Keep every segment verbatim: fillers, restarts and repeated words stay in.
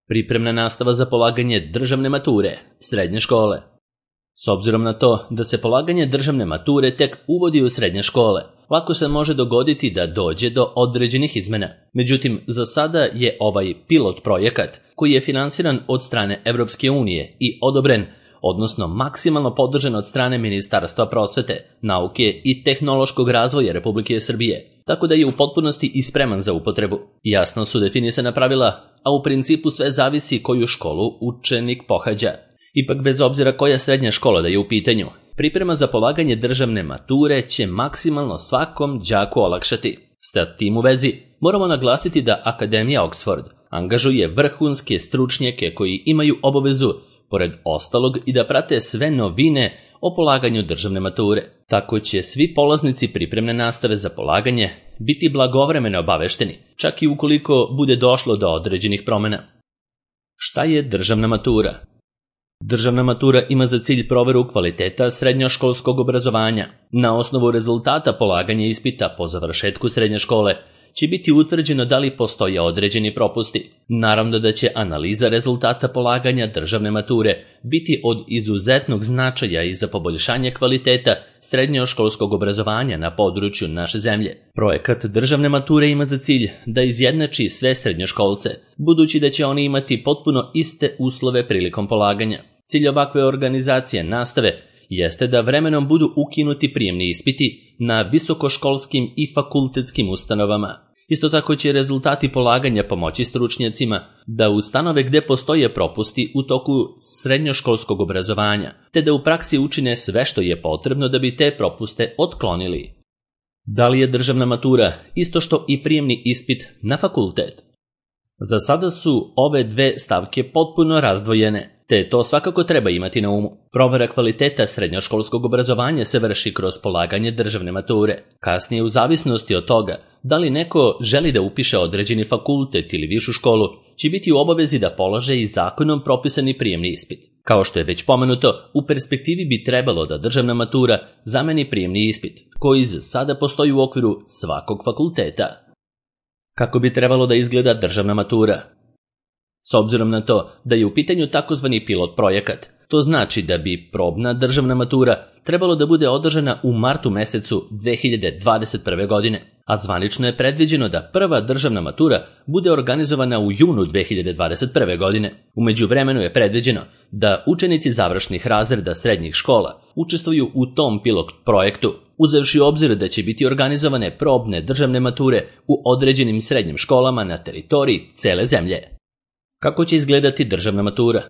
Pripremna nastava za polaganje državne mature, srednje škole. S obzirom na to da se polaganje državne mature tek uvodi u srednje škole, lako se može dogoditi da dođe do određenih izmena. Međutim, za sada je ovaj pilot projekat, koji je finansiran od strane Evropske unije i odobren, odnosno maksimalno podržan od strane Ministarstva prosvete, nauke i tehnološkog razvoja Republike Srbije, tako da je u potpunosti i spreman za upotrebu. Jasno su definisana pravila, a u principu sve zavisi koju školu učenik pohađa. Ipak, bez obzira koja srednja škola da je u pitanju, priprema za polaganje državne mature će maksimalno svakom đaku olakšati. S tim u vezi, moramo naglasiti da Akademija Oxford angažuje vrhunske stručnjake koji imaju obavezu, pored ostalog, i da prate sve novine o polaganju državne mature. Tako će svi polaznici pripremne nastave za polaganje biti blagovremeno obavešteni, čak i ukoliko bude došlo do određenih promena. Šta je državna matura? Državna matura ima za cilj proveru kvaliteta srednjoškolskog obrazovanja. Na osnovu rezultata polaganja ispita po završetku srednje škole će biti utvrđeno da li postoje određeni propusti. Naravno da će analiza rezultata polaganja državne mature biti od izuzetnog značaja i za poboljšanje kvaliteta srednjoškolskog obrazovanja na području naše zemlje. Projekat državne mature ima za cilj da izjednači sve srednjoškolce, budući da će oni imati potpuno iste uslove prilikom polaganja. Cilj ovakve organizacije nastave jeste da vremenom budu ukinuti prijemni ispiti na visokoškolskim i fakultetskim ustanovama. Isto tako će rezultati polaganja pomoći stručnjacima da ustanove gde postoje propusti u toku srednjoškolskog obrazovanja, te da u praksi učine sve što je potrebno da bi te propuste otklonili. Da li je državna matura isto što i prijemni ispit na fakultet? Za sada su ove dve stavke potpuno razdvojene, te to svakako treba imati na umu. Provera kvaliteta srednjoškolskog obrazovanja se vrši kroz polaganje državne mature. Kasnije, u zavisnosti od toga da li neko želi da upiše određeni fakultet ili višu školu, će biti u obavezi da polaže i zakonom propisani prijemni ispit. Kao što je već pomenuto, u perspektivi bi trebalo da državna matura zameni prijemni ispit, koji za sada postoji u okviru svakog fakulteta. Kako bi trebalo da izgleda državna matura? S obzirom na to da je u pitanju takozvani pilot projekat, to znači da bi probna državna matura trebalo da bude održana u martu mesecu dve hiljade dvadeset prve. godine, a zvanično je predviđeno da prva državna matura bude organizovana u junu dve hiljade dvadeset prve. godine. U međuvremenu je predviđeno da učenici završnih razreda srednjih škola učestvuju u tom pilot projektu, uzevši u obzir da će biti organizovane probne državne mature u određenim srednjim školama na teritoriji cele zemlje. Kako će izgledati državna matura?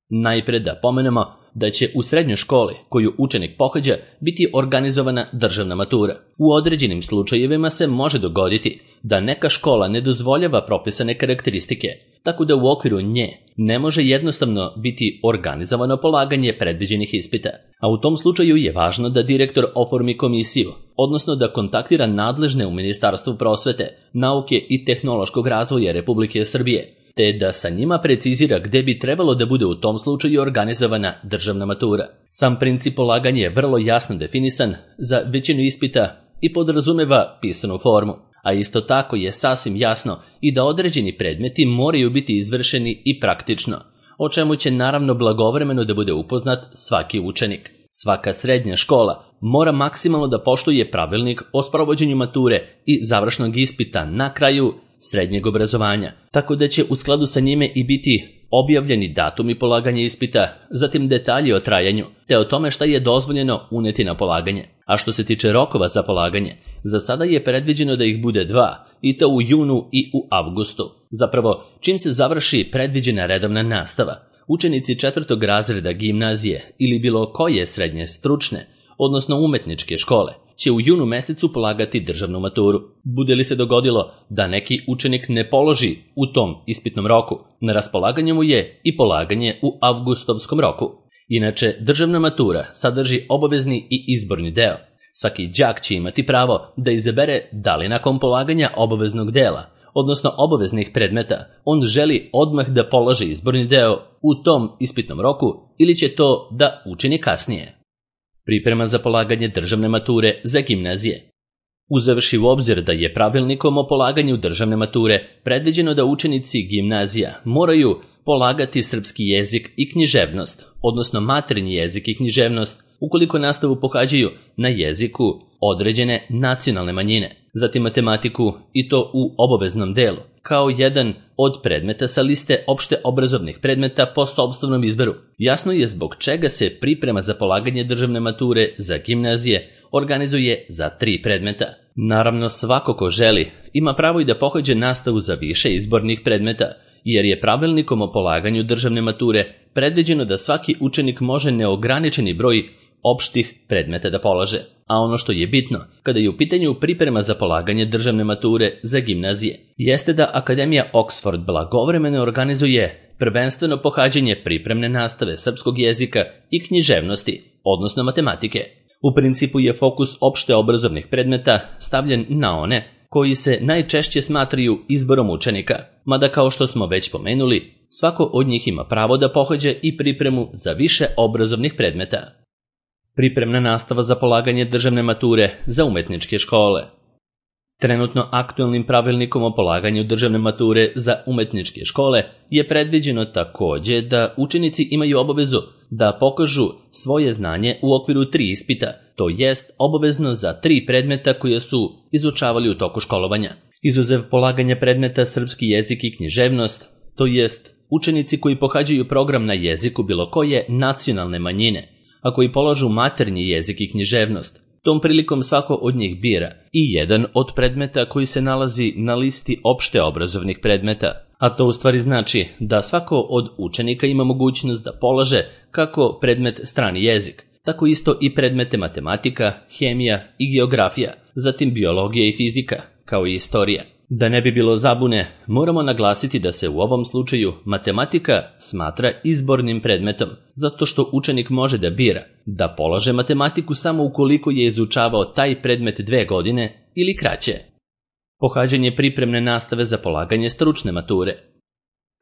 Najpre da pomenemo da će u srednjoj školi koju učenik pohađa biti organizovana državna matura. U određenim slučajevima se može dogoditi da neka škola ne dozvoljava propisane karakteristike, tako da u okviru nje ne može jednostavno biti organizovano polaganje predviđenih ispita. A u tom slučaju je važno da direktor oformi komisiju, odnosno da kontaktira nadležne u Ministarstvu prosvete, nauke i tehnološkog razvoja Republike Srbije, te da sa njima precizira gde bi trebalo da bude u tom slučaju organizovana državna matura. Sam princip polaganja je vrlo jasno definisan za većinu ispita i podrazumeva pisanu formu, a isto tako je sasvim jasno i da određeni predmeti moraju biti izvršeni i praktično, o čemu će naravno blagovremeno da bude upoznat svaki učenik. Svaka srednja škola mora maksimalno da poštuje pravilnik o sprovođenju mature i završnog ispita na kraju srednjeg obrazovanja, tako da će u skladu sa njime i biti objavljeni datumi polaganja ispita, zatim detalji o trajanju, te o tome šta je dozvoljeno uneti na polaganje. A što se tiče rokova za polaganje, za sada je predviđeno da ih bude dva, i to u junu i u avgustu. Zapravo, čim se završi predviđena redovna nastava, učenici četvrtog razreda gimnazije ili bilo koje srednje stručne, odnosno umetničke škole, će u junu mesecu polagati državnu maturu. Bude li se dogodilo da neki učenik ne položi u tom ispitnom roku, na raspolaganju mu je i polaganje u avgustovskom roku. Inače, državna matura sadrži obavezni i izborni deo. Svaki đak će imati pravo da izabere da li nakon polaganja obaveznog dela, odnosno obaveznih predmeta, on želi odmah da položi izborni deo u tom ispitnom roku ili će to da učini kasnije. Priprema za polaganje državne mature za gimnazije. Uzevši u obzir da je pravilnikom o polaganju državne mature predviđeno da učenici gimnazija moraju polagati srpski jezik i književnost, odnosno maternji jezik i književnost, ukoliko nastavu pohađaju na jeziku određene nacionalne manjine, zatim matematiku i to u obaveznom delu, kao jedan od predmeta sa liste opšte obrazovnih predmeta po sopstvenom izboru. Jasno je zbog čega se priprema za polaganje državne mature za gimnazije organizuje za tri predmeta. Naravno, svako ko želi ima pravo i da pohađa nastavu za više izbornih predmeta, jer je pravilnikom o polaganju državne mature predviđeno da svaki učenik može neograničeni broj opštih predmeta da polaže. A ono što je bitno, kada je u pitanju priprema za polaganje državne mature za gimnazije, jeste da Akademija Oxford blagovremeno organizuje prvenstveno pohađanje pripremne nastave srpskog jezika i književnosti, odnosno matematike. U principu je fokus opšte obrazovnih predmeta stavljen na one koji se najčešće smatraju izborom učenika, mada kao što smo već pomenuli, svako od njih ima pravo da pohađa i pripremu za više obrazovnih predmeta. Pripremna nastava za polaganje državne mature za umetničke škole. Trenutno aktualnim pravilnikom o polaganju državne mature za umetničke škole je predviđeno takođe da učenici imaju obavezu da pokažu svoje znanje u okviru tri ispita, to jest obavezno za tri predmeta koje su izučavali u toku školovanja. Izuzev polaganja predmeta srpski jezik i književnost, to jest učenici koji pohađaju program na jeziku bilo koje nacionalne manjine, a koji polažu maternji jezik i književnost, tom prilikom svako od njih bira i jedan od predmeta koji se nalazi na listi opšte obrazovnih predmeta, a to u stvari znači da svako od učenika ima mogućnost da polaže kako predmet strani jezik, tako isto i predmete matematika, hemija i geografija, zatim biologija i fizika, kao i istorija. Da ne bi bilo zabune, moramo naglasiti da se u ovom slučaju matematika smatra izbornim predmetom, zato što učenik može da bira da polaže matematiku samo ukoliko je izučavao taj predmet dve godine ili kraće. Pohađanje pripremne nastave za polaganje stručne mature.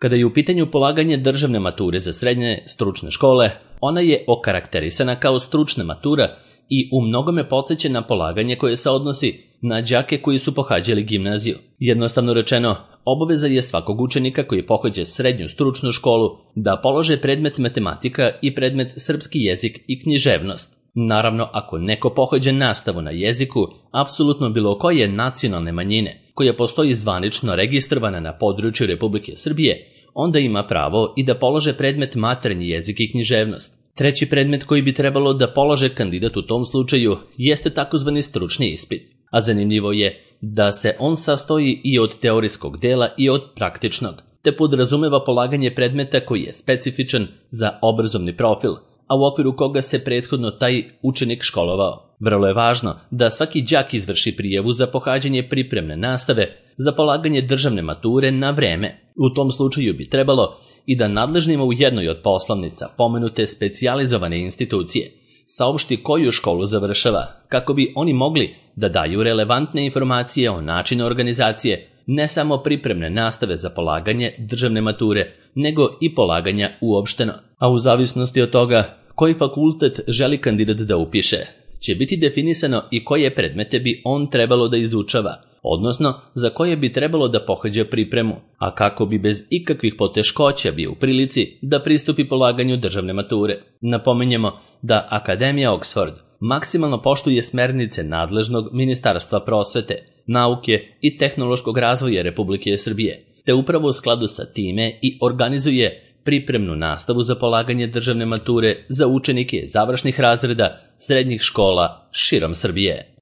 Kada je u pitanju polaganje državne mature za srednje stručne škole, ona je okarakterisana kao stručna matura i u mnogome podseća na polaganje koje se odnosi na đake koji su pohađali gimnaziju. Jednostavno rečeno, obaveza je svakog učenika koji pohađa srednju stručnu školu da polože predmet matematika i predmet srpski jezik i književnost. Naravno, ako neko pohađa nastavu na jeziku apsolutno bilo koje nacionalne manjine koja postoji zvanično registrovana na području Republike Srbije, onda ima pravo i da polože predmet maternji jezik i književnost. Treći predmet koji bi trebalo da polože kandidat u tom slučaju jeste takozvani stručni ispit, a zanimljivo je da se on sastoji i od teorijskog dela i od praktičnog, te podrazumeva polaganje predmeta koji je specifičan za obrazovni profil, a u okviru koga se prethodno taj učenik školovao. Vrlo je važno da svaki đak izvrši prijavu za pohađanje pripremne nastave za polaganje državne mature na vreme. U tom slučaju bi trebalo i da nadležnima u jednoj od poslovnica pomenute specijalizovane institucije saopšti koju školu završava, kako bi oni mogli da daju relevantne informacije o načinu organizacije ne samo pripremne nastave za polaganje državne mature, nego i polaganja uopšteno. A u zavisnosti od toga koji fakultet želi kandidat da upiše, će biti definisano i koje predmete bi on trebalo da izučava, odnosno za koje bi trebalo da pohađa pripremu, a kako bi bez ikakvih poteškoća bio u prilici da pristupi polaganju državne mature. Napominjemo da Akademija Oxford maksimalno poštuje smernice nadležnog Ministarstva prosvete, nauke i tehnološkog razvoja Republike Srbije, te upravo u skladu sa time i organizuje pripremnu nastavu za polaganje državne mature za učenike završnih razreda srednjih škola širom Srbije.